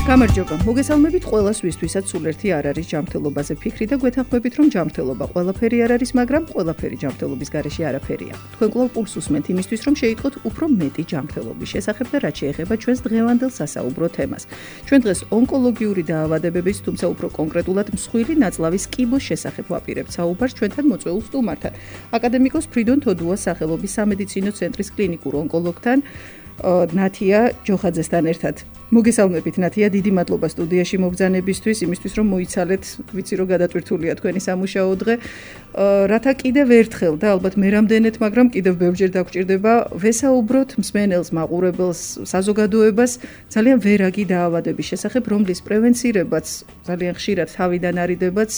გამარჯობა. მოგესალმებით ყველას, ვისთვისაც სულ ერთი არ არის ჯანმრთელობაზე ფიქრი და გვეთანხმებით, რომ ჯანმრთელობა ყველაფერი არ არის, მაგრამ ყველაფერი ჯანმრთელობის გარეშე არაფერია. თქვენ კვლავ პულს უსმენთ იმისთვის, რომ შეიტყოთ უფრო მეტი ჯანმრთელობის შესახებ და რაც შეეხება ჩვენს დღევანდელ სასაუბრო თემას. ჩვენ დღეს ონკოლოგიური დაავადებების, თუმცა უფრო კონკრეტულად მსხვილი ნაწლავის კიბოს შესახებ ვაპირებთ საუბარს ჩვენთან მოწვეულ სტუმართან. აკადემიკოს ფრიდონ თოდუას სახელობის სამედიცინო ცენტრის კლინიკურ ონკოლოგთან ნათია ჯოხაძესთან ერთად. მოგესალმებით ნათია, დიდი მადლობა სტუდიაში მობრძანებისთვის, იმისთვის რომ მოიცალეთ, ვიცი რომ გადატვირთულია თქვენი სამუშაო დღე. რათა კიდევ ერთხელ და ალბათ მე რამდენად, მაგრამ კიდევ ბევრჯერ დაგვჭირდება ვესაუბროთ მსმენელს, მაყურებელს, საზოგადოებას ძალიან ვერაგი დაავადების შესახებ, რომლის პრევენცირებაც ძალიან ხშირად თავიდან არიდებაც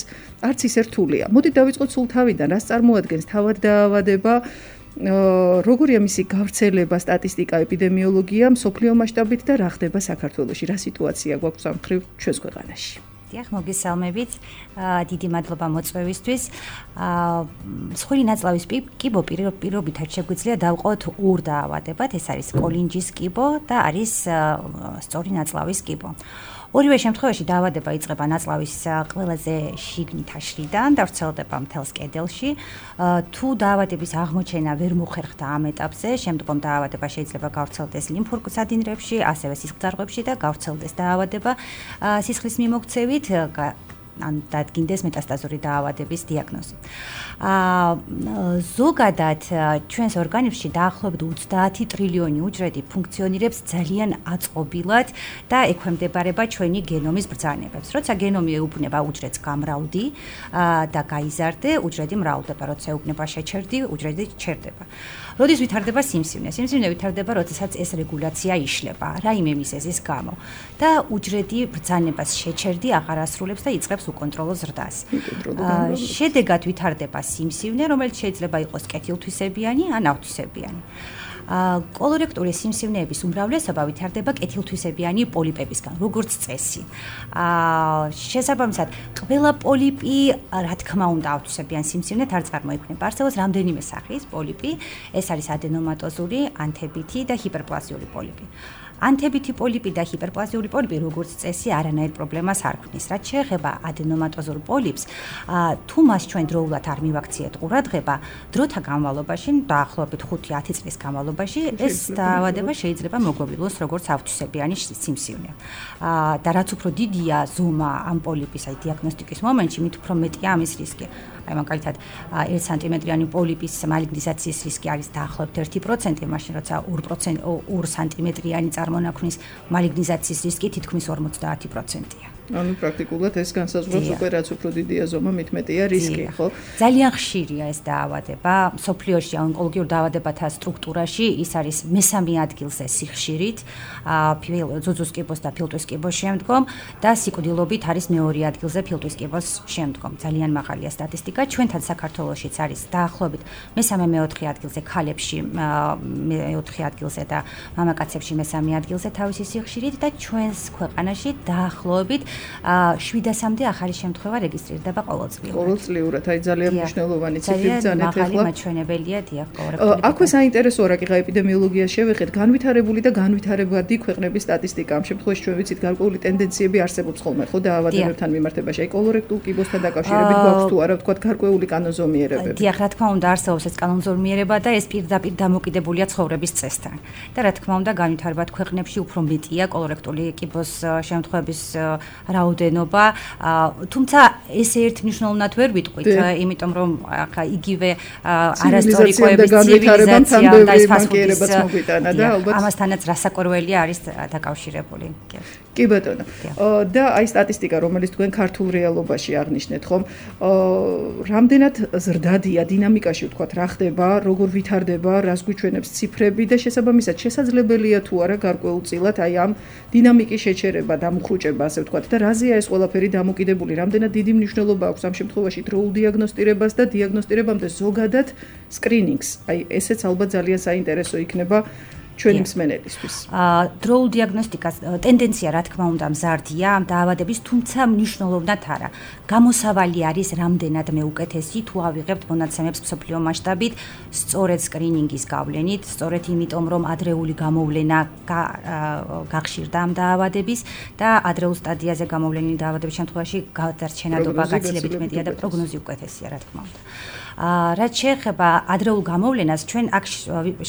არც ისე რთულია. მოდით დავიწყოთ სულ თავიდან, რას წარმოადგენს თავად დაავადება? როგორია მისი გავრცელება, სტატისტიკა, ეპიდემიოლოგია მსოფლიო მასშტაბით და რა ხდება საქართველოში, რა სიტუაცია გვაქვს ამ მხრივ ჩვენს ქვეყანაში? დიახ, მოგესალმებით. დიდი მადლობა მოწვევისთვის. მსხვილი ნაწლავის კიბო პირობითად შეგვიძლია დავყოთ ორ დაავადებად, ეს არის კოლინჯის კიბო და არის სწორი ნაწლავის კიბო. ორივე შემთხვევაში დაავადება იწყება ნაწლავის ყველაზე შიგნით აშლიდან და ვრცელდება მთელს კედელში. თუ დაავადების აღმოჩენა ვერ მოხერხდა ამ ეტაპზე, შემდგომ დაავადება შეიძლება გავრცელდეს ლიმფურ სადინრებში, ასევე სისხლძარღვებში და გავრცელდეს დაავადება სისხლის მიმოქცევით, ან დადგინდეს მეტასტაზური დაავადების დიაგნოზი. ზოგადად ჩვენს ორგანიზმში დაახლოებით 30 ტრილიონი უჯრედი ფუნქციონირებს ძალიან აწყობილად და ექვემდებარება ჩვენი გენომის ბრძანებებს. როცა გენომი ეუბნება უჯრედს გამრავლდი და გაიზარდე, უჯრედი მრავლდება, როცა ეუბნება შეჩერდი, უჯრედი ჩერდება. როდის ვითარდება სიმსივნე? სიმსივნე ვითარდება, როდესაც ეს რეგულაცია იშლება, რაიმე მიზეზის გამო და უჯრედი ბრძანებას შეჩერდი აღარ ასრულებს და იწყებს უკონტროლო ზრდას. შედეგად ვითარდება სიმსივნე, რომელიც შეიძლება იყოს კეთილთვისებიანი ან ავთვისებიანი. კოლორექტული სიმსივნეების უმრავლესობა ვითარდება კეთილთვისებიანი პოლიპებისგან, როგორც წესი. შესაბამისად, ყველა პოლიპი, რა თქმა უნდა, ავთვისებიან სიმსივნეთ არ წარმოიქმნება. არსებობს რამდენიმე სახის პოლიპი, ეს არის ადენომატოზური, ანთებითი და ჰიპერპლაზიური პოლიპი. ანთებითი პოლიპი და ჰიპერპლაზიური პოლიპი როგორც წესი არანაირ პრობლემას არ ქმნის. რაც შეეხება ადენომატოზურ პოლიპს, თუ მას ჩვენ დროულად არ მივაქციეთ ყურადღება, დროთა განმავლობაში, დაახლოებით 5-10 წლის განმავლობაში, ეს დაავადება შეიძლება მოგვევლოს როგორც ავთვისებიანი სიმსივნე. და რაც უფრო დიდია ზომა ამ პოლიპის, აი დიაგნოსტიკის მომენტში, მით უფრო მეტია ამის რისკი. აი მაგალითად 1 სანტიმეტრიანი პოლიპის მალიგნიზაციის რისკი არის დაახლოებით 1%, მაშინ როცა 2 სანტიმეტრიანი წარმონაქმნის მალიგნიზაციის რისკი თითქმის 50%-ია. ანუ პრაქტიკულად ეს განსაზღვრავს უკვე რაც უფრო დიდია ზომა, მით მეტია რისკი, ხო? ძალიან ხშირია ეს დაავადება. მსოფლიოში ონკოლოგიურ დაავადებათა სტრუქტურაში ის არის მესამე ადგილზე სიხშირით, ძუძუს კიბოს და ფილტვის კიბოს შემდგომ და სიკვდილობით არის მეორე ადგილზე ფილტვის კიბოს შემდგომ. ძალიან მაღალია სტატისტიკა. ჩვენთან საქართველოშიც არის დაახლოებით მესამე-მეოთხე ადგილზე ქალებში, მეოთხე ადგილზე და მამაკაცებში მესამე ადგილზე თავისი სიხშირით და ჩვენს ქვეყანაში დაახლოებით 700-მდე ახალი შემთხვევა რეგისტრირდება ყოველწლიურად. ყოველწლიურად, აი ძალიან მნიშვნელოვანი ციფრი ბრძანეთ ახლა. მაღალი მაჩვენებელია, დიახ, კოლორექტული. აქვე საინტერესოა რა კიღა ეპიდემიოლოგიას შევეხეთ, განვითარებული და განვითარებადი ქვეყნების სტატისტიკა. ამ შემთხვევაში ჩვენ ვიცით გარკვეული ტენდენციები არსებობს ხოლმე, ხო, დაავადებებთან მიმართებაში. აი კოლორექტულ კიბოსთან დაკავშირებით გვაქვს თუ არა, ვთქვათ, გარკვეული კანონზომიერებები. დიახ, რა თქმა უნდა, არსებობს ეს კანონზომიერება და ეს პირდაპირ დამოკიდებულია ცხოვრების წესთან. და რა თქმა უნდა, განვითარებად ქვეყნებში უფრო მეტია კოლორექტული კიბოს შემთხვევების რაოდენობა, თუმცა ესე ერთმნიშვნელოვნად ვერ ვიტყვით, იმიტომ რომ ახლა იგივე არასტორიკოების ცივილიზაცია და ეს ფასფუდის მოგვიტანა და ალბათ ამასთანაც რასაკვირველია არის დაკავშირებული. კი ბატონო. და აი სტატისტიკა, რომელიც თქვენ ქართულ რეალობაში აღნიშნეთ, ხომ? რამდენად ზრდადია დინამიკაში, ვთქვათ, რა ხდება, როგორ ვითარდება, რას გვიჩვენებს ციფრები და შესაბამისად შესაძლებელია თუ არა გარკვეულწილად აი ამ დინამიკის შეჩერება, დამუხრუჭება, ასე ვთქვათ, და რაზეა ეს ყველაფერი დამოკიდებული, რამდენად დიდი მნიშვნელობა აქვს ამ შემთხვევაში დროულ დიაგნოსტირებას და დიაგნოსტირებამდე ზოგადად სკრინინგს. აი ესეც ალბათ ძალიან საინტერესო იქნება ჩვენი მსმენელისთვის. დროულ დიაგნოსტიკას ტენდენცია რა თქმა უნდა მზარდია ამ დაავადების, თუმცა მნიშვნელოვნად არა. გამოსავალი არის რამდენად მეუკეთესი თუ ავიღებთ მონაცემებს მსოფლიო მასშტაბით სწორედ სკრინინგის გავლენით, სწორედ იმიტომ რომ ადრეული გამოვლენა გახშირდა ამ დაავადების და ადრეულ სტადიაზე გამოვლენილი დაავადების შემთხვევაში გადარჩენადობა გაცილებით მეტია და პროგნოზი უკეთესია რა თქმა უნდა. რაც შეეხება ადრეულ გამოვლენას, ჩვენ აქ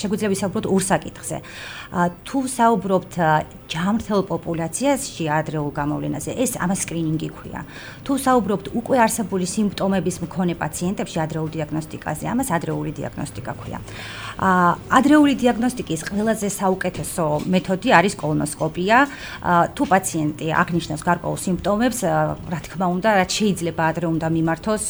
შეგვიძლია ვისაუბროთ ორ საკითხზე. თუ საუბრობთ ჯამრთელ პოპულაციაში ადრეულ გამოვლენაზე, ეს ამას სკრინინგი ქვია. თუ საუბრობთ უკვე არსებული სიმპტომების მქონე პაციენტებში ადრეულ დიაგნოსტიკაზე, ამას ადრეული დიაგნოსტიკა ქვია. ადრეული დიაგნოსტიკის ყველაზე საუკეთესო მეთოდი არის კოლონოსკოპია. თუ პაციენტი აღნიშნავს გარკვეულ სიმპტომებს, რა თქმა უნდა, რაც შეიძლება ადრე უნდა მიმართოს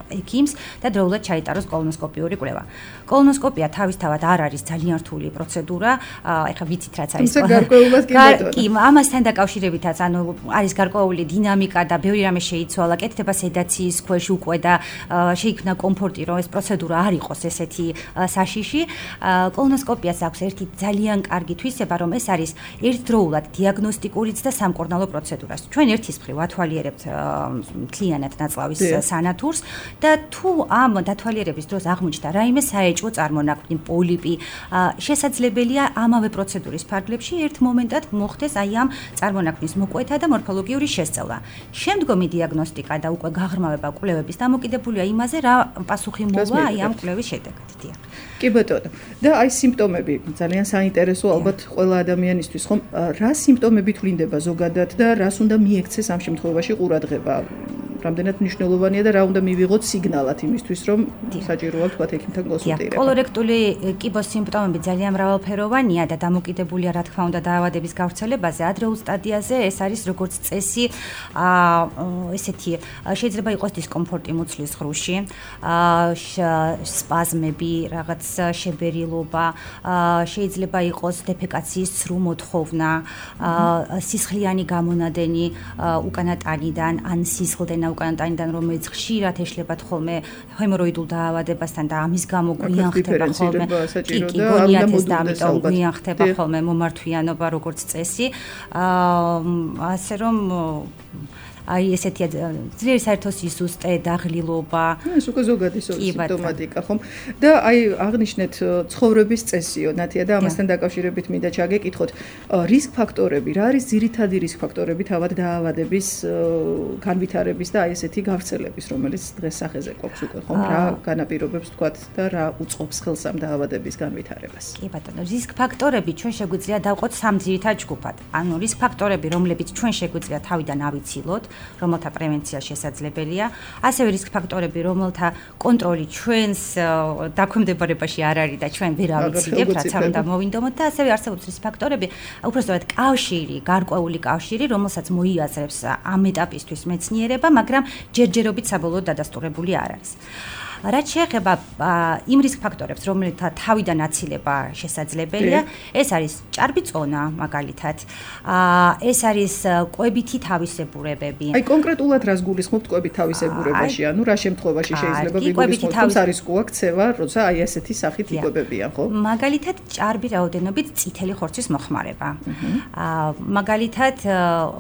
ექიმს და დროულად ჩაიტაროს კოლონოსკოპიური კვლევა. კოლონოსკოპია თავისთავად არ არის ძალიან რთული პროცედურა, ეხლა ვიცით რაც არის. კი, ამასთან დაკავშირებითაც, არის გარკვეული დინამიკა და ბევრი რამე შეიცვალა, კეთდება სედაციის ქვეშ უკვე და შეიქმნა კომფორტი, რომ ეს პროცედურა არ იყოს ესეთი საშიში. კოლონოსკოპიას აქვს ერთი ძალიან კარგი თვისება, რომ ეს არის ერთდროულად დიაგნოსტიკურიც და სამკურნალო პროცედურა. ჩვენ ერთის მხრივ ათვალიერებთ მთლიანად ნაწლავის სანათურს და თუ ამ დათვალიერების დროს აღმოჩნდა რაიმე საეჭვო წარმონაქმნი, პოლიპი, შესაძლებელია ამავე პროცედურის ფარგლებში ერთ მომენტად მოხდეს აი ამ წარმონაქმნის მოკვეთა და მორფოლოგიური შესწავლა. შემდგომი დიაგნოსტიკა და უკვე გაღრმავება კვლევების დამოკიდებულია იმაზე, რა პასუხი მოვა აი ამ კვლევის შედეგად. კი ბატონო. და აი სიმპტომები ძალიან საინტერესო ალბათ ყველა ადამიანისთვის, ხომ? რა სიმპტომებით ვლინდება ზოგადად და რას უნდა მიექცეს ამ შემთხვევაში ყურადღება? რამდენად მნიშვნელოვანია და რა უნდა მივიღოთ სიგნალად იმისთვის, რომ საჭიროა თქვა ექიმთან კონსულტირება. კოლორექტული კიბოს სიმპტომები ძალიან მრავალფეროვანია და დამოკიდებულია რა თქმა უნდა დაავადების გავრცელებაზე. ადრეულ სტადიაზე ეს არის როგორც წესი, ესეთი შეიძლება იყოს დისკომფორტი მუცლის ღრუში, სპაზმები, რაღაც შებერილობა, შეიძლება იყოს დეფეკაციის ცრუ მოთხოვნა, სისხლიანი გამონადენი უკანატანიდან ან სისხლდენა უკანატანიდან, რომელიც ხშირად ეშლებათ ხოლმე ჰემოროიდულ დაავადებასთან და ამის გამო გვიან ხდება ხოლმე გონიათეს და ამიტომ გვიან ხდება ხოლმე მომართვიანობა როგორც წესი. ასე რომ აი ესეთია ძლიერი საერთო სისუსტე, დაღლილობა. ეს უკვე ზოგადი სიმპტომატიკა, ხომ? და აი აღნიშნეთ ცხოვრების წესიო, ნათია და ამასთან დაკავშირებით მინდა ჩაგეკითხოთ, რისკ ფაქტორები, რა არის ძირითადი რისკ ფაქტორები თავად დაავადების განვითარების და აი ესეთი გავრცელების, რომელიც დღეს სახეზე გვაქვს უკვე, ხომ? რა განაპირობებს თქვათ და რა უწყობს ხელს ამ დაავადების განვითარებას? კი ბატონო, რისკ ფაქტორები ჩვენ შეგვიძლია დავყოთ სამ ძირითად ჯგუფად. ანუ რისკ ფაქტორები, რომლებიც ჩვენ შეგვიძლია თავიდან ავიცილოთ, რომელთა პრევენცია შესაძლებელია, ასევე რისკ ფაქტორები, რომელთა კონტროლი ჩვენს დაქვემდებარებაში არ არის და ჩვენ ვერ ავიცილებთ, რაც არ უნდა მოვინდომოთ და ასევე არსებობს რისკ ფაქტორები, უბრალოდ კავშირი, გარკვეული კავშირი, რომელსაც მოიაზრებს ამ ეტაპისთვის მეცნიერება, მაგრამ ჯერჯერობით საბოლოოდ დადასტურებული არ არის. რაც შეეხება იმ რისკ ფაქტორებს, რომელთა თავიდან აცილება შესაძლებელია, ეს არის ჭარბი წონა, მაგალითად. ეს არის კვებითი თავისებურებები. აი კონკრეტულად რას გულისხმობთ კვებით თავისებურებაში? ანუ რა შემთხვევაში შეიძლება ვიგულისხმოთ, რომ არისკოა ქცევა, როცა აი ესეთი სახით იკვებებიან, ხო? მაგალითად, ჭარბი რაოდენობით წითელი ხორცის მოხმარება. მაგალითად,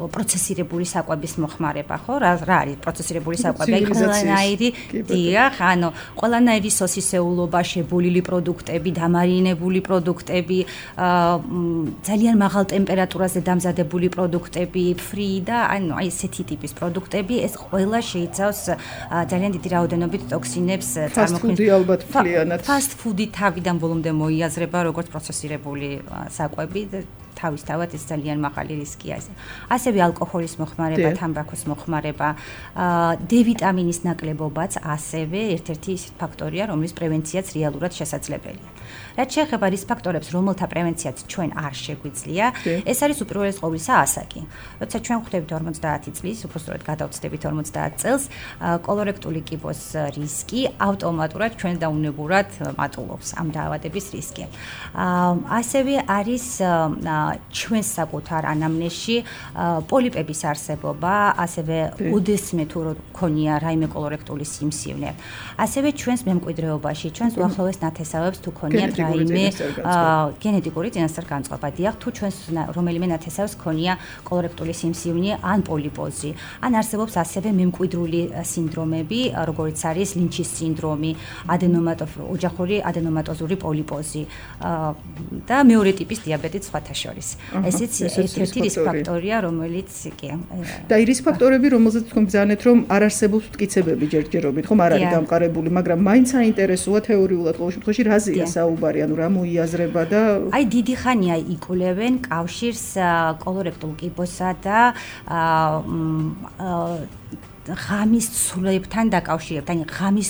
პროცესირებული საკვების მოხმარება, ხო? რა არის პროცესირებული საკვები? აი ყველანაირი, დიახ, ანუ ყველანაირი სოსისეულობა, შებოლილი პროდუქტები, დამარინებული პროდუქტები, ძალიან მაღალ ტემპერატურაზე დამზადებული პროდუქტები, ფრი და ანუ აი ესეთი ტიპის პროდუქტები, ეს ყველა შეიცავს ძალიან დიდი რაოდენობით ტოქსინებს წარმოქმნის. ფასტ-ფუდი ალბათ მთლიანად. ფასტ-ფუდი თავიდან ბოლომდე მოიაზრება როგორც პროცესირებული საკვები და თავისთავად ეს ძალიან მაღალი რისკია. ასევე ალკოჰოლის მოხმარება, თამბაქოს მოხმარება, D ვიტამინის ნაკლებობაც ასევე ერთ-ერთი ფაქტორია, რომლის პრევენციაც რეალურად შესაძლებელია. რაც შეეხება რისკ ფაქტორებს, რომელთა პრევენციაც ჩვენ არ შეგვიძლია, ეს არის უპირველეს ყოვლისა ასაკი. როცა ჩვენ ხვდებით 50 წლის, უბრალოდ გადავწდებით 50 წელს, კოლორექტული კიბოს რისკი ავტომატურად ჩვენ დაუნებურად მატულობს ამ დაავადების რისკი. ასევე არის ჩვენს საკუთარ ანამნეზში პოლიპების არსებობა, ასევე უდესმე თუ ქონია რაიმე კოლორექტული სიმსივნე. ასევე ჩვენს მემკვიდრეობაში, ჩვენს უახლოეს ნათესავებს თუ გქონიათ რაიმე გენეტიკური წინასწარ-განწყობა. დიახ, თუ ჩვენს რომელიმე ნათესავს ქონია კოლორექტული სიმსივნე ან პოლიპოზი, ან არსებობს ასევე მემკვიდრული სინდრომები, როგორიც არის ლინჩის სინდრომი, ოჯახური ადენომატოზური პოლიპოზი და მეორე ტიპის დიაბეტიც სხვათა შორის. ესეც ერთ-ერთი რისკ ფაქტორია, რომელიც კი. და რისკ ფაქტორები, რომელზეც თქვენ ბრძანეთ, რომ არ არსებობს მტკიცებები ჯერჯერობით, ხომ არ არის დამყარებული, მაგრამ მაინც საინტერესოა თეორიულად ყოველ შემთხვევაში რაზეა საუბარი, ანუ რა მოიაზრება და აი დიდი ხანია იკვლევენ კავშირს კოლორექტულ კიბოსა და ღამის ცვლებთან დაკავშირებთან, აი ღამის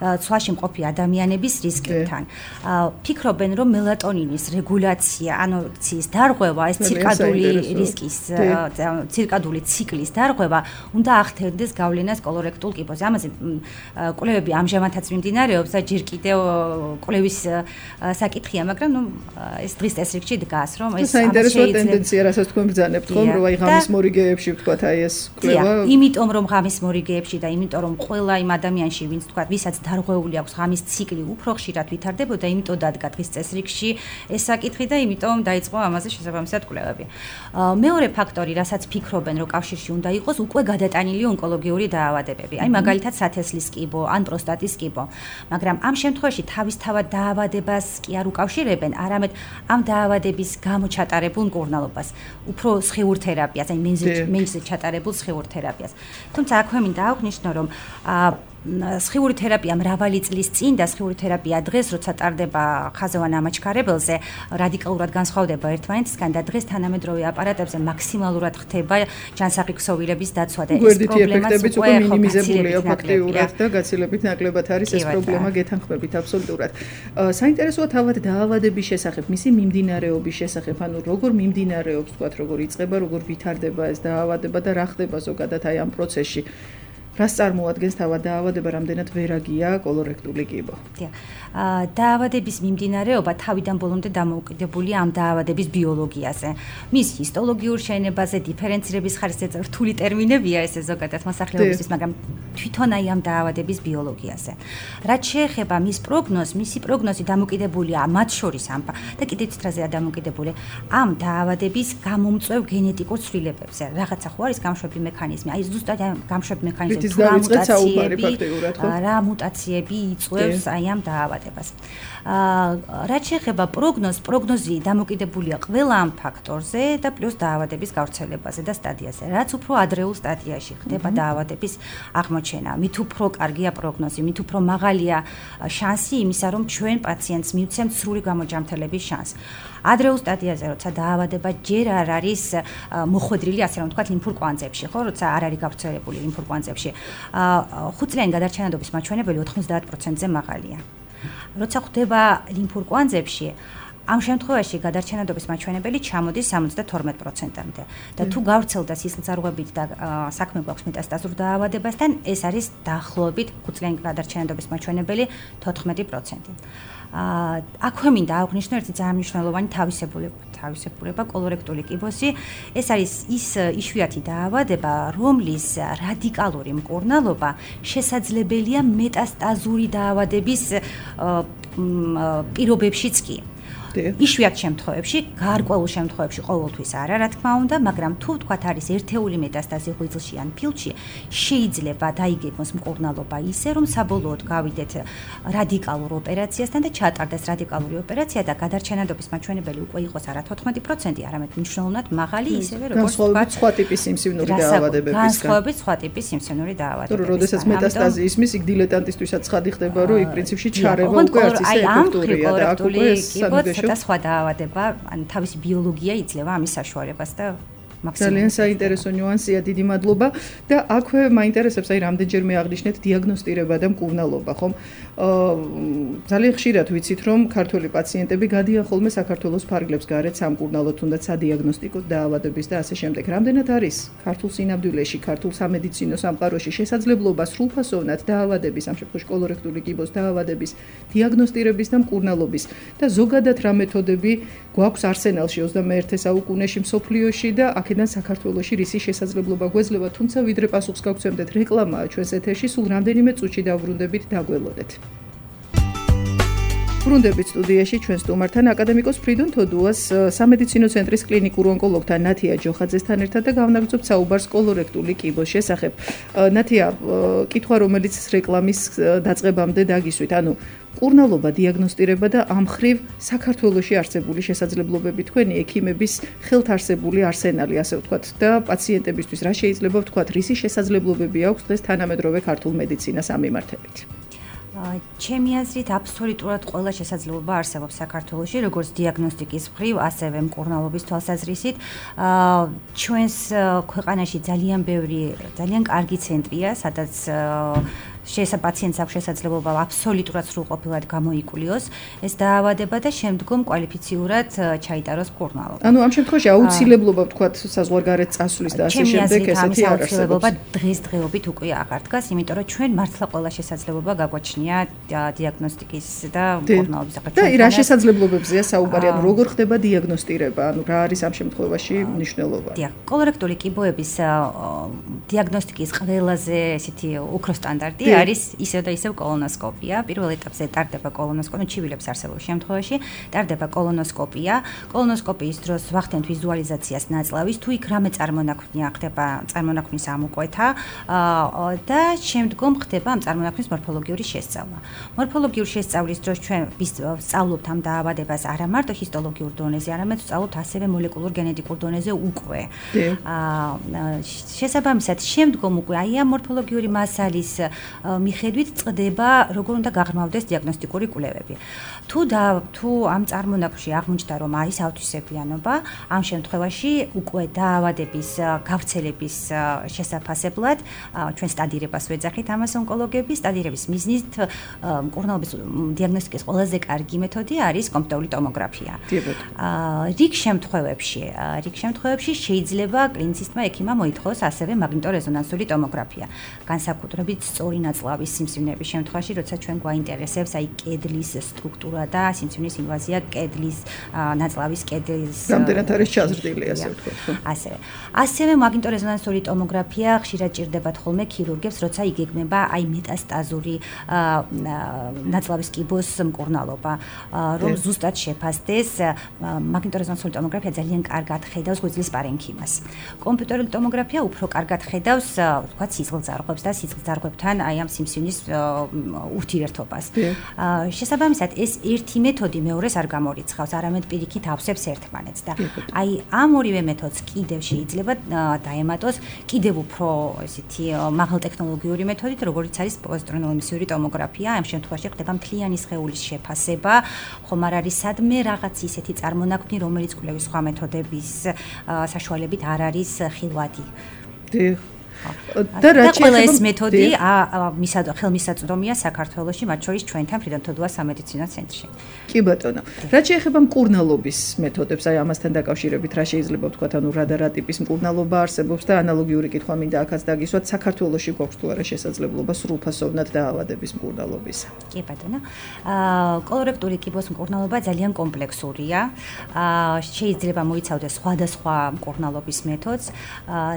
ცვლაში მყოფი ადამიანების რისკებთან. ფიქრობენ, რომ მელატონინის რეგულაცია, ანორექსიის დარღვევა, ეს ცირკადული ციკლის დარღვევა უნდა ახდენდეს გავლენას კოლორექტულ კიბოზე. ამაზე კვლევები ამჟამადაც მიმდინარეობს და ჯერ კიდევ კვლევის საკითხია, მაგრამ ეს დღის წესრიგში დგას, რომ ეს საინტერესო ტენდენცია, რასაც თქვენ ბრძანებთ, ხომ, რომ აი ღამის მორიგეებში ვთქვათ, აი ეს კვლევა. იმიტომ რომ ღამის მორიგეებში და იმიტომ რომ ყველა იმ ადამიანში, ვინც თქვა, ვისაც დარღვეული აქვს ღამის ციკლი, უფრო ხშირად ვითარდებოდა, იმიტომ დადგა დღის წესრიგში ეს საკითხი და იმიტომ დაიწყო ამაზე შესაბამისად კვლევები. მეორე ფაქტორი, რასაც ფიქრობენ, რომ კავშირში უნდა იყოს, უკვე გადატანილი ონკოლოგიური დაავადებები. აი მაგალითად სათესლის კიბო ან პროსტატის კიბო. მაგრამ ამ შემთხვევაში თავისთავად დაავადებას კი არ უკავშირებენ, არამედ ამ დაავადების გამო ჩატარებულ მკურნალობას, უფრო სხიურ თერაპიას, აი მენჯზე ჩატარებულ სხიურ თერაპიას. თუმცა აქვე მინდა აღვნიშნო, რომ სხიური თერაპია მრავალი წლის წინ და სხიური თერაპია დღეს, როცა ტარდება ხაზოვან ამაჩქარებელზე, რადიკალურად განსხვავდება ერთმანეთისგან და დღეს თანამედროვე აპარატებზე მაქსიმალურად ხდება ჯანსაღი ქსოვილების დაცვა და ეს პრობლემაც უკვე მინიმიზებულია ფაქტიურად და გაცილებით ნაკლებად არის ეს პრობლემა გეთანხმებით აბსოლუტურად. საინტერესოა თავად დაავადების შესახებ, მისი მიმდინარეობის შესახებ, ანუ როგორ მიმდინარეობს, თქვათ, როგორ იწყება, როგორ ვითარდება ეს დაავადება და რა ხდება ზოგადად აი ამ პროცესში. რას წარმოადგენს თავად დაავადება, რამდენად ვერაგია კოლორექტული კიბო? დაავადების მიმდინარეობა თავიდან ბოლომდე დამოუკიდებულია ამ დაავადების ბიოლოგიაზე. მის ჰისტოლოგიურ შეინებაზე, დიფერენცირების ხარისხზე რთული ტერმინებია ესე ზოგადად მოსახლეობისთვის, მაგრამ თვითონ აი ამ დაავადების ბიოლოგიაზე. რაც შეეხება მის პროგნოზს, მისი პროგნოზი დამოკიდებულია მათ შორის ამ და კიდევ ცხრაზეა დამოკიდებული ამ დაავადების გამომწვევ გენეტიკურ ცვლილებებზე. რაღაცა ხო არის გამშვები მექანიზმი, აი ზუსტად გამშვები მექანიზმი რა მუტაციები იწვევს აი ამ დაავადებას. რაც შეეხება პროგნოზი დამოკიდებულია ყველა ამ ფაქტორზე და პლუს დაავადების გავრცელებაზე და სტადიაზე. რაც უფრო ადრეულ სტადიაში ხდება დაავადების აღმოჩენა, მით უფრო კარგია პროგნოზი, მით უფრო მაღალია შანსი იმისა, რომ ჩვენ პაციენტს მივცემთ სრული გამოჯამთელების შანსს. ადრეულ სტადიაზე, როცა დაავადება ჯერ არ არის მოხვედრილი, ასე რომ ვთქვათ, ლიმფურ კვანძებში, ხო, როცა არ არის გავრცელებული ლიმფურ კვანძებში, 5-წლიანი გადარჩენადობის მაჩვენებელი 90%-ზე მაღალია. როცა ხდება ლიმფურ კვანძებში, ამ შემთხვევაში გადარჩენადობის მაჩვენებელი ჩამოდის 72%-მდე და თუ გავრცელდა სისხლძარღვებით და საქმე გვაქვს მეტასტაზურ დაავადებასთან, ეს არის დაახლოებით 5-წლიანი გადარჩენადობის მაჩვენებელი 14%. აქვე მინდა აღვნიშნო ერთი ძალიან მნიშვნელოვანი თავისებურება კოლორექტული კიბოსი. ეს არის ის იშვიათი დაავადება, რომლის რადიკალური მკურნალობა შესაძლებელია მეტასტაზური დაავადების პირობებშიც კი. იშვიათ შემთხვევებში, გარკვეულ შემთხვევებში ყოველთვის არა, რა თქმა უნდა, მაგრამ თუ თქვათ არის ერთეული მეტასტაზი ღვიძლში ან ფილში, შეიძლება დაიგეგმოს მკურნალობა ისე, რომ საბოლოოდ გავიდეთ რადიკალურ ოპერაციასთან და ჩატარდეს რადიკალური ოპერაცია და გადარჩენადობის მაჩვენებელი უკვე იყოს არა 14%, არამედ მნიშვნელოვნად მაღალი, ისევე როგორც თქვათ, სხვა ტიპის სიმსივნური დაავადებებისგან. განსხვავებით სხვა ტიპის სიმსივნური დაავადებებისგან. როდესაც მეტასტაზი ისმის, იქ დილეტანტისთვისაც ცხადი ხდება, რომ იქ პრინციპში ჩარევა უკვე არც ისე ეფექტურია და აქ უკვე და სხვა დაავადება, ანუ თავისი ბიოლოგია იძლევა ამის საშუალებას და ძალიან საინტერესო ნიუანსია, დიდი მადლობა და აქვე მაინტერესებს აი რამდენჯერმე აღნიშნეთ დიაგნოსტირება და მკურნალობა, ხომ? ძალიან ხშირად ვიცით, რომ ქართველი პაციენტები გადიან ხოლმე საქართველოს ფარგლებს გარეთ სამკურნალო თუნდაც სადიაგნოსტიკო დაავადების და ასე შემდეგ. რამდენად არის ქართულ სინამდვილეში, ქართულ სამედიცინო სამყაროში შესაძლებლობა სრულფასოვნად დაავადების, ამ შემთხვევაში კოლორექტული კიბოს დაავადების დიაგნოსტირების და მკურნალობის და ზოგადად რა მეთოდები გვაქვს არსენალში 21 საუკუნეში მსოფლიოში და აქედან საქართველოში რისი შესაძლებლობა გვეძლება, თუმცა ვიდრე პასუხს გავცემდეთ რეკლამაა ჩვენს ეთერში, სულ რამდენიმე წუთში დავბრუნდებით, დაგველოდეთ. ბრუნდებით სტუდიაში ჩვენ სტუმართან აკადემიკოს ფრიდონ თოდუას სამედიცინო ცენტრის კლინიკურ ონკოლოგთან ნათია ჯოხაძესთან ერთად და გავნაგრძობთ საუბარს კოლორექტული კიბოს შესახებ. ნათია, კითხვა რომელიც რეკლამის დაწყებამდე დაგისვით, ანუ კურნალობა დიაგნოსტირება და ამ ხრივ საქართველოში არსებული შესაძლებლობები თქვენი ექიმების ხელთ არსებული არსენალი, ასე ვთქვათ, და პაციენტებისთვის რა შეიძლება ვთქვათ, რისი შესაძლებლობები აქვს დღეს თანამედროვე ქართულ მედიცინას ამ მიმართებით? ჩემი აზრით აბსოლუტურად ყველა შესაძლებლობა არსებობს საქართველოში, როგორც დიაგნოსტიკის მხრივ, ასევე მკურნალობის თვალსაზრისით. ჩვენს ქვეყანაში ძალიან ბევრი, ძალიან კარგი ცენტრია, სადაც პაციენტს აქვს შესაძლებლობა აბსოლუტურად სრულყოფილად გამოიკულიოს ეს დაავადება და შემდგომ კვალიფიციურად ჩაიტაროს მკურნალობა. ანუ ამ შემთხვევაში აუცილებლობა ვთქვათ საზღვარგარეთ წასვლის და ასე შემდეგ ესეთი არ არსებობს. დღესდღეობით უკვე აღარ დგას, იმიტომ რომ ჩვენ მართლა ყველა შესაძლებლობა გაგვაჩნია დიაგნოსტიკის და მკურნალობის და რა შესაძლებლობებზეა საუბარი, ანუ როგორ ხდება დიაგნოსტირება, ანუ რა არის ამ შემთხვევაში მნიშვნელობა? დიახ, კოლორექტული კიბოების დიაგნოსტიკის ყველაზე ესეთი უფრო სტანდარტი არის ისევ და ისევ კოლონოსკოპია. პირველ ეტაპზე ტარდება კოლონოსკოპია, ჩივილებს არსებულ შემთხვევაში ტარდება კოლონოსკოპია. კოლონოსკოპიის დროს ვახდენთ ვიზუალიზაციას ნაწლავის, თუ იქ რამე წარმონაქმნია ხდება წარმონაქმნის ამოკვეთა და შემდგომ ხდება ამ წარმონაქმნის მორფოლოგიური შესწავლა. მორფოლოგიური შესწავლის დროს ჩვენ ვსწავლობთ ამ დაავადებას არა მარტო ჰისტოლოგიურ დონეზე, არამედ ვსწავლობთ ასევე მოლეკულურ გენეტიკურ დონეზე უკვე. შესაბამისად, შემდგომ უკვე აი ამ მორფოლოგიური მასალის მიხედვით წდება, როგორ უნდა გაღრმავდეს დიაგნოსტიკური კვლევები. თუ ამ წარმონაქმნში აღმოჩნდა, რომ არის ავთვისებიანობა, ამ შემთხვევაში უკვე დაავადების გავრცელების შესაფასებლად ჩვენ სტადირებას ვეძახით ამას ონკოლოგები. სტადირების მიზნით მკურნალობის დიაგნოსტიკის ყველაზე კარგი მეთოდი არის კომპიუტერული ტომოგრაფია. რიგ შემთხვევებში შეიძლება კლინიცისტმა ექიმმა მოითხოვოს ასევე მაგნიტორეზონანსული ტომოგრაფია. განსაკუთრებით სწორი ნაწლავის სიმსივნეების შემთხვევაში, როცა ჩვენ გვაინტერესებს აი კედლის სტრუქტურა და სიმსივნის ინვაზია კედლის ნაწლავის კედლის რამდენად არის ჩაზრდილი, ასე ვთქვათ. ასევე მაგნიტორეზონანსული ტომოგრაფია ხშირად ჭირდებათ ხოლმე ქირურგებს, როცა იგეგმება აი მეტასტაზური ნაწლავის კიბოს მკურნალობა, რომ ზუსტად შეფასდეს. მაგნიტორეზონანსული ტომოგრაფია ძალიან კარგად ხედავს ღვიძლის პარენქიმას. კომპიუტერული ტომოგრაფია უფრო კარგად ხედავს, ვთქვათ, სისხლძარღვებს და სისხლძარღვებთან აი ამ სიმსივნის ურთიერთობას. შესაბამისად, ეს ერთი მეთოდი მეორეს არ გამორიცხავს, არამედ პირიქით ავსებს ერთმანეთს და აი ამ ორივე მეთოდს კიდევ შეიძლება დაემატოს კიდევ უფრო ესეთი მაღალტექნოლოგიური მეთოდით, როგორიც არის პოზიტრონულ-ემისიური ტომოგრაფია. ამ შემთხვევაში ხდება მთლიანი სხეულის შეფასება, ხომ არ არის სადმე რაღაც ისეთი წარმონაქმნი, რომელიც კვლევის სხვა მეთოდების საშუალებით არ არის ხილვადი. და ყველა ეს მეთოდი ხელმისაწვდომია საქართველოში, მათ შორის ჩვენთან ფრიდონ თოდუას სამედიცინო ცენტრში. კი ბატონო. რაც შეეხება მკურნალობის მეთოდებს, აი ამასთან დაკავშირებით რა შეიძლება ვთქვათ, ანუ რა ტიპის მკურნალობა არსებობს და ანალოგიური კითხვა მინდა აქაც დაგისვათ, საქართველოში გვაქვს თუ არა შესაძლებლობა სრულფასოვნად დაავადების მკურნალობისა? კი ბატონო. კოლორექტული კიბოს მკურნალობა ძალიან კომპლექსურია. შეიძლება მოიცავდეს სხვადასხვა მკურნალობის მეთოდს.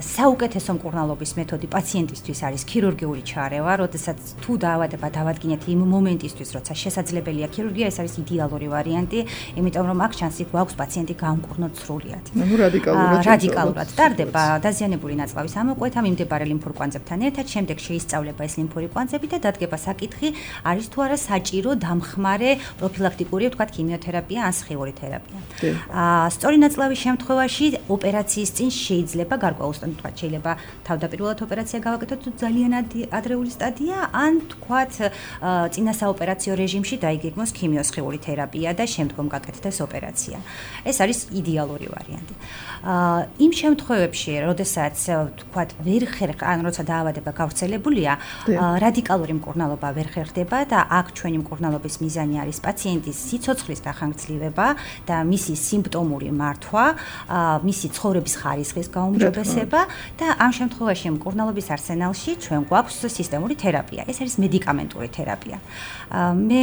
საუკეთესო მკურნალობის მეთოდი პაციენტისთვის არის ქირურგიული ჩარევა, როდესაც თუ დაავადება დავადგინეთ იმ მომენტისთვის, როცა შესაძლებელია ქირურგია, ეს არის იდეალური ვარიანტი, იმიტომ რომ აქ შანსი გვაქვს პაციენტი გამკურნოთ სრულიად. ანუ რადიკალურად ტარდება დაზიანებული ნაწლავის ამოკვეთა მიმდებარე ლიმფურ კვანძებთან ერთად, შემდეგ შეისწავლება ეს ლიმფური კვანძები და დადგება საკითხი, არის თუ არა საჭირო დამხმარე პროფილაქტიკური, ვთქვათ, ქიმიოთერაპია ან სხეული თერაპია. სწორი ნაწლავის შემთხვევაში ოპერაციის წინ შეიძლება გარკვეულწილად, ვთქვათ, შეიძლება თავდაპირველად ოპერაცია გავაკეთოთ, თუ ძალიან ადრეული სტადია, ან თქვათ წინა საოპერაციო რეჟიმში დაიგეგმოს ქიმიოსხეული თერაპია და შემდგომ გაკეთდეს ოპერაცია. ეს არის იდეალური ვარიანტი. იმ შემთხვევებში, როდესაც თქვათ ვერ ხერხდება, ან როცა დაავადება გავრცელებულია, რადიკალური მკურნალობა ვერ ხერხდება და აქ ჩვენი მკურნალობის მიზანი არის პაციენტის სიცოცხლის დახანგრძლივება და მისი სიმპტომური მართვა, მისი ცხოვრების ხარისხის გაუმჯობესება და ამ შემთხვევაში მკურნალობის არსენალში ჩვენ გვაქვს სისტემური თერაპია. ეს არის მედიკამენტური თერაპია. მე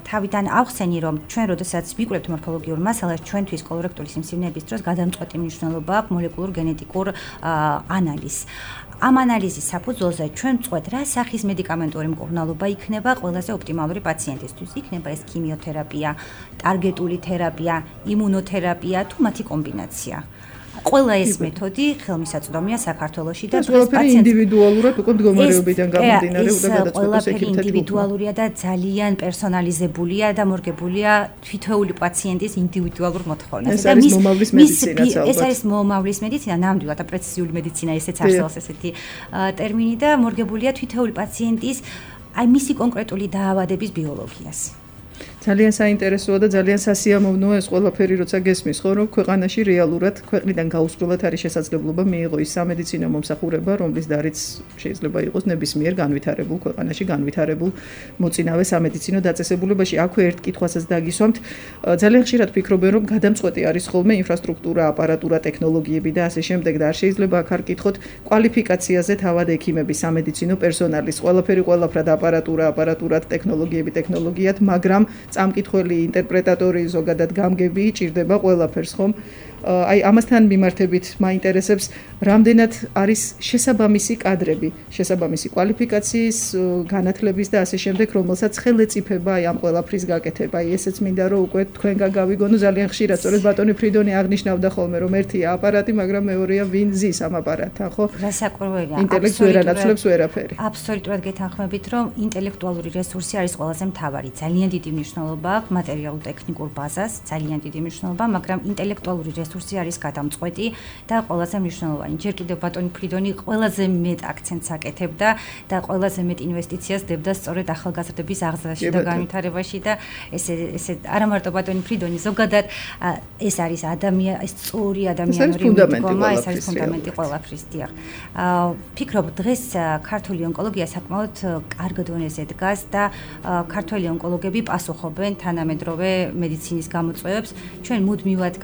თავიდან ავხსენი, რომ ჩვენ როდესაც ვიკვლევთ მორფოლოგიურ მასალას, ჩვენთვის კოლორექტული სიმსივნეების დროს გადამწყვეტი მნიშვნელობა აქვს მოლეკულურ გენეტიკურ ანალიზს. ამ ანალიზის საფუძველზე ჩვენ ვწყვეტ რა სახის მედიკამენტური მკურნალობა იქნება ყველაზე ოპტიმალური პაციენტისთვის. იქნება ეს ქიმიოთერაპია, ტარგეტული თერაპია, იმუნოთერაპია თუ მათი კომბინაცია. ყველა ეს მეთოდი ხელმისაწვდომია საქართველოში და ყველაფერი ინდივიდუალურად უკვე მდგომარეობიდან გამომდინარე უნდა გადაწყვეტოს ყველაფერი ინდივიდუალურია და ძალიან პერსონალიზებულია და მორგებულია თითოეული პაციენტის ინდივიდუალურ მოთხოვნაზე. და ეს არის მომავლის მედიცინა, ნამდვილად და პრეციზიული მედიცინა, ესეც არსებობს ესეთი ტერმინი და მორგებულია თითოეული პაციენტის მისი კონკრეტული დაავადების ბიოლოგიას. ძალიან საინტერესოა და ძალიან სასიამოვნოა ეს ყველაფერი, როცა გესმის, ხო, რომ ქვეყანაში რეალურად ქვეყნიდან გაუსრულად არის შესაძლებლობა მიიღო ის სამედიცინო მომსახურება, რომლის დარიც შეიძლება იყოს ნებისმიერ განვითარებულ ქვეყანაში, განვითარებულ მოწინავე სამედიცინო დაწესებულებაში. აქვე ერთ კითხვასაც დაგისვამთ. ძალიან ხშირად ფიქრობენ, რომ გადამწყვეტი არის ხოლმე ინფრასტრუქტურა, აპარატურა, ტექნოლოგიები და ასე შემდეგ და არ შეიძლება აქ არ კითხოთ კვალიფიკაციაზე თავად ექიმების, სამედიცინო პერსონალის, ყველაფერი ყველაფრად აპარატურა, ტექნოლოგიად, მაგრამ წამკითხველი ინტერპრეტატორი ზოგადად გამგები ჭირდება ყველაფერს ხომ აი ამასთან მიმართებით მაინტერესებს რამდენად არის შესაბამისი კადრები, შესაბამისი კვალიფიკაციის, განათლების და ასე შემდეგ, რომელსაც ხელეწიფება აი ამ ყველაფრის გაკეთება. აი ესეც მინდა რომ უკვე თქვენგან გავიგონო ძალიან ხშირად, სწორედ ბატონი ფრიდონი აღნიშნავდა ხოლმე რომ ერთია აპარატი, მაგრამ მეორეა ვინ ზის ამ აპარატთან, ხო? რასაკვირველია. ინტელექტს ვერ ანაცვლებს ვერაფერი. აბსოლუტურად გეთანხმებით, რომ ინტელექტუალური რესურსი არის ყველაზე მთავარი. ძალიან დიდი მნიშვნელობა აქვს მატერიალურ-ტექნიკურ ბაზას, ძალიან დიდი მნიშვნელობა, მაგრამ ინტელექტუალური რესურსი არის გადამწყვეტი და ყველაზე მნიშვნელოვანი. ჯერ კიდევ ბატონი ფრიდონი ყველაზე მეტ აქცენტს აკეთებდა და ყველაზე მეტ ინვესტიციას დებდა სწორედ ახალგაზრდების აღზრდაში და განვითარებაში და ესე არა მარტო ბატონი ფრიდონი, ზოგადად ეს არის ეს სწორი ადამიანური მიდგომა, ეს არის ფუნდამენტი ყველაფრის, დიახ. ფიქრობ დღეს ქართული ონკოლოგია საკმაოდ კარგ დონეზე დგას და ქართველი ონკოლოგები პასუხობენ თანამედროვე მედიცინის გამოწვევებს. ჩვენ მუდმივად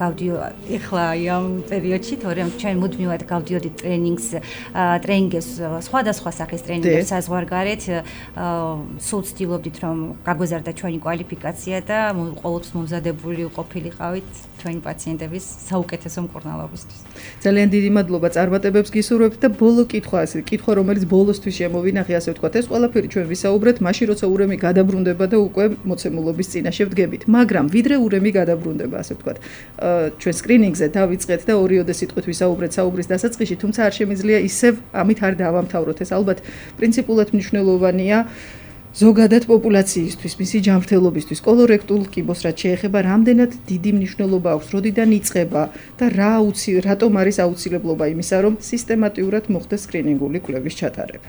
ეხლა ამ პერიოდში, თორემ ჩვენ მუდმივად გავდიოდით ტრენინგებს, სხვადასხვა სახის ტრენინგებს საზღვარგარეთ, სულ ვცდილობდით, რომ გაგვეზარდა ჩვენი კვალიფიკაცია და ყოველთვის მომზადებული ყოფილიყავით ჩვენი პაციენტების საუკეთესო მკურნალობისთვის. ძალიან დიდი მადლობა წარმატებებს გისურვებთ და ბოლო კითხვა, რომელიც ბოლოსთვის შემოვინახე, ასე ვთქვათ, ეს ყველაფერი ჩვენ ვისაუბრეთ, მაშინ როცა ურემი გადაბრუნდება და უკვე მოცემულობის წინაშე ვდგებით. მაგრამ ვიდრე ურემი გადაბრუნდება, ასე ვთქვათ, ჩვენ სკრინინგზე დავიწყეთ და ორიოდე სიტყვით ვისაუბრეთ საუბრის დასაწყისში, თუმცა არ შემიძლია ისევ ამით არ დავამთავროთ. ეს ალბათ პრინციპულად მნიშვნელოვანია ზოგადად პოპულაციისთვის, მისი ჯანმრთელობისთვის, კოლორექტულ კიბოს რაც შეეხება, რამდენად დიდი მნიშვნელობა აქვს, როდიდან იწყება და რატომ არის აუცილებლობა იმისა, რომ სისტემატიურად მოხდეს სკრინინგული კვლევის ჩატარება.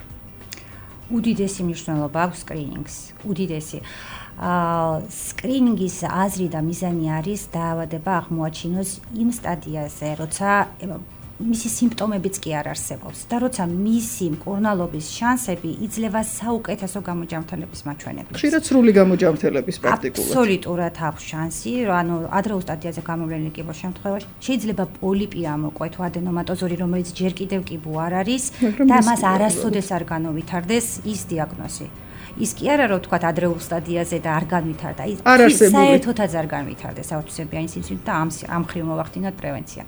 უდიდესი მნიშვნელობა აქვს სკრინინგს, უდიდესი. სკრინინგის აზრი და მიზანი არის დაავადება აღმოაჩინოს იმ სტადიაზე, როცა მისი სიმპტომებიც კი არ არსებობს და როცა მისი მკურნალობის შანსები იძლევა საუკეთესო გამოჯანმრთელების მაჩვენებლებს. ხშირად სრული გამოჯანმრთელების პრაქტიკულად. აბსოლუტურად აქვს შანსი, ანუ ადრეულ სტადიაზე გამოვლენილი კიბოს შემთხვევაში შეიძლება პოლიპი ამოყვეთ ადენომატოზორი, რომელიც ჯერ კიდევ კიბო არ არის და მას არასოდეს არ განავითარდეს ის დიაგნოზი. ის კი არა რომ თქვა ადრეულ სტადიაზე და არ განვითარდა, ის საერთოდაც არ განვითარდა საავტისებიანი სიმსივნე და ამ ხრივ მოვახდინოთ პრევენცია.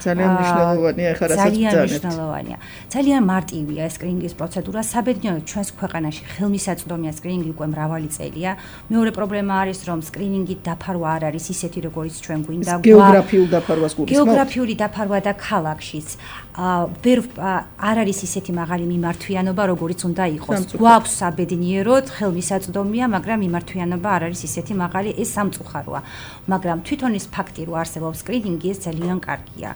ძალიან მნიშვნელოვანია, ახლა რასაც ძალიან მნიშვნელოვანია. ძალიან მარტივია სკრინინგის პროცედურა, საბედნიეროდ ჩვენს ქვეყანაში ხელმისაწვდომია სკრინინგი უკვე მრავალი წელია. მეორე პრობლემა არის რომ სკრინინგით დაფარვა არ არის ისეთი როგორიც ჩვენ გვინდა. გეოგრაფიულ დაფარვას გულისხმობთ? გეოგრაფიული დაფარვა და ქალაქშიც არ არის ისეთი მაღალი მიმართვიანობა როგორიც უნდა იყოს. გვაქვს საბედნიეროდ ხელმისაწვდომია, მაგრამ მიმართვიანობა არ არის ისეთი მაღალი, ეს სამწუხაროა. მაგრამ თვითონ ის ფაქტი, რომ არსებობს სკრინინგი, ეს ძალიან კარგია.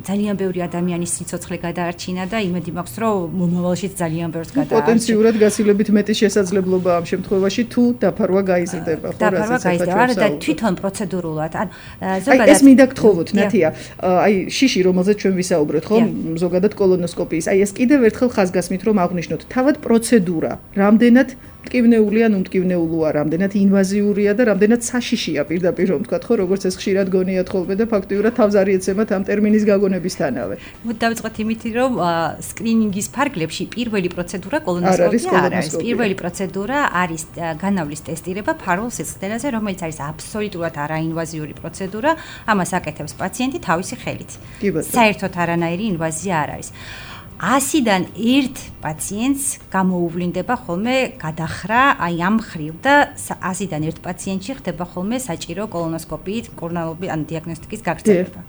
ძალიან ბევრი ადამიანის სიცოცხლე გადაარჩინა და იმედი მაქვს, რომ მომავალშიც ძალიან ბევრს გადაარჩინა. პოტენციურად გასილებით მეტი შესაძლებლობა ამ შემთხვევაში თუ დაფარვა გაიზრდება, ხო, დაფარვა გაიზრდება და თვითონ პროცედურულად, ზოგადად ეს მინდა გთხოვოთ, ნათია, აი შიში, რომელზეც ჩვენ ვისაუბრეთ, ხო, ზოგადად კოლონოსკოპიის, აი ეს კიდევ ერთხელ ხაზგასმით რომ აღვნიშნოთ, თავად პროცედურა რამდენად მტკივნეული ან უმტკივნეულოა, რამდენად ინვაზიურია და რამდენად საშიშია პირდაპირ რომ ვთქვათ, ხო, როგორც ეს ხშირად გონიათ ხოლმე და ფაქტიურად თავს არ იეცემათ ამ ტერმინის გაგონებისთანავე. დავიწყოთ იმით, რომ სკრინინგის ფარგლებში პირველი პროცედურა კოლონოსკოპია არ არის. პირველი პროცედურა არის განავლის ტესტირება ფარულ სისხლდენაზე, რომელიც არის აბსოლუტურად არაინვაზიური პროცედურა. ამას აკეთებს პაციენტი თავისი ხელით. საერთოდ არანაირი ინვაზია არ არის. 100-დან 1 პაციენტს გამოუვლინდება ხოლმე გადახრა აი ამ მხრივ და 100-დან 1 პაციენტში ხდება ხოლმე საჭირო კოლონოსკოპიით კორონალური ან დიაგნოსტიკის გაგრძელება.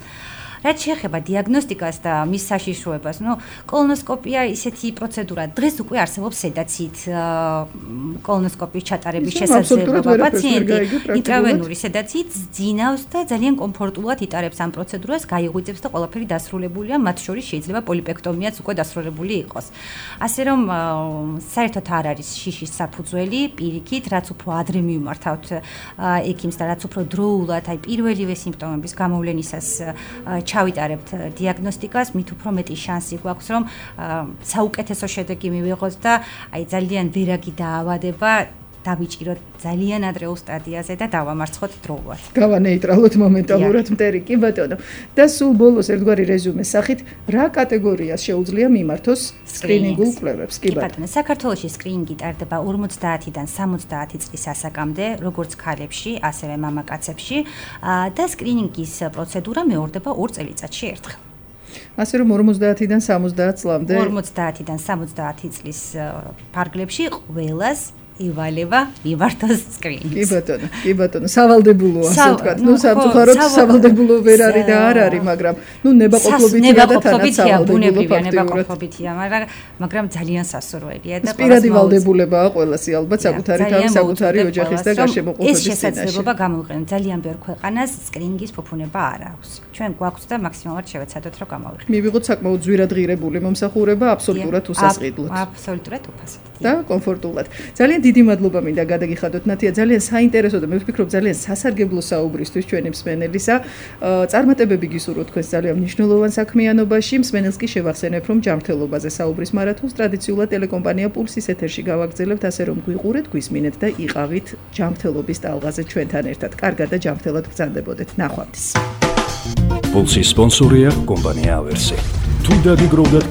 რაც შეეხება დიაგნოსტიკას და მის საშიშროებას, კოლონოსკოპია ისეთი პროცედურა, დღეს უკვე არსებობს სედაციით კოლონოსკოპიის ჩატარების შესაძლებლობა. პაციენტი ინტრავენური სედაციით ძინავს და ძალიან კომფორტულად იტარებს ამ პროცედურას, გაიღვიძებს და ყველაფერი დასრულებულია, მათ შორის შეიძლება პოლიპექტომიაც უკვე დასრულებული იყოს. ასე რომ საერთოდ არ არის შიშის საფუძველი პირიქით, რაც უფრო ადრე მივმართავთ ექიმს და რაც უფრო დროულად, აი პირველივე სიმპტომების გამოვლენისას ჩავიტარებთ დიაგნოსტიკას, მით უფრო მეტი შანსი გვაქვს, რომ საუკეთესო შედეგი მივიღოთ და აი ძალიან ვერაგი დაავადება დავიჭიროთ ძალიან ადრეულ სტადიაზე და დავამარცხოთ დროულად. გავანეიტრალოთ მომენტალურად მტერი, კი ბატონო. და სულ ბოლოს ერთგვარი რეზუმეს სახით, რა კატეგორიას შეუძლია მიმართოს სკრინინგულ კვლევებს, კი ბატონო. საქართველოში სკრინინგი ტარდება 50-დან 70 წლის ასაკამდე, როგორც ქალებში, ასევე მამაკაცებში და სკრინინგის პროცედურა მეორდება 2 წელიწადში ერთხელ. ასე რომ 50-დან 70 წლამდე 50-დან 70 წლის ფარგლებში ყველას ივალება მიმართოს სკრინინგს. კი ბატონო, სავალდებულოა, ასე ვთქვათ. სამწუხაროდ სავალდებულო ვერ არის და არ არის, მაგრამ ნებაყოფლობითია და თანაც სავალდებულოა, ნებაყოფლობითია, მაგრამ ძალიან სასურველია და პირადი ვალდებულებაა ყველასი ალბათ საკუთარი თავის, საკუთარი ოჯახის და გარშემოყოფების წინაშე. ეს შესაძლებლობა გამოვიყენოთ ძალიან ბევრ ქვეყანას სკრინინგის ფუფუნება არ აქვს. ჩვენ გვაქვს და მაქსიმალურად შევეცადოთ რომ გამოვიყენოთ. მივიღოთ საკმაოდ ძვირადღირებული მომსახურება აბსოლუტურად უსასყიდლოდ. აბსოლუტურად უფასოდ. და კომფორტულად. ძალიან დიდი მადლობა მინდა გადაგიხადოთ ნათია, ძალიან საინტერესო და მე ვფიქრობ ძალიან სასარგებლო საუბრისთვის ჩვენი მსმენელისა. წარმატებები გისურვოთ თქვენს ძალიან მნიშვნელოვან საქმიანობაში. მსმენელს კი შევახსენებ, რომ ჯანმრთელობაზე საუბრის მარათონს ტრადიციულად ტელეკომპანია პულსის ეთერში გავაგრძელებთ, ასე რომ გვიყურეთ, გვისმინეთ და იყავით ჯანმრთელობის ტალღაზე ჩვენთან ერთად. კარგად და ჯანმრთელად გრძანდებოდეთ. ნახვამდის. პულსის სპონსორია კომპანია ავერსი. თუ დაგიგროვდათ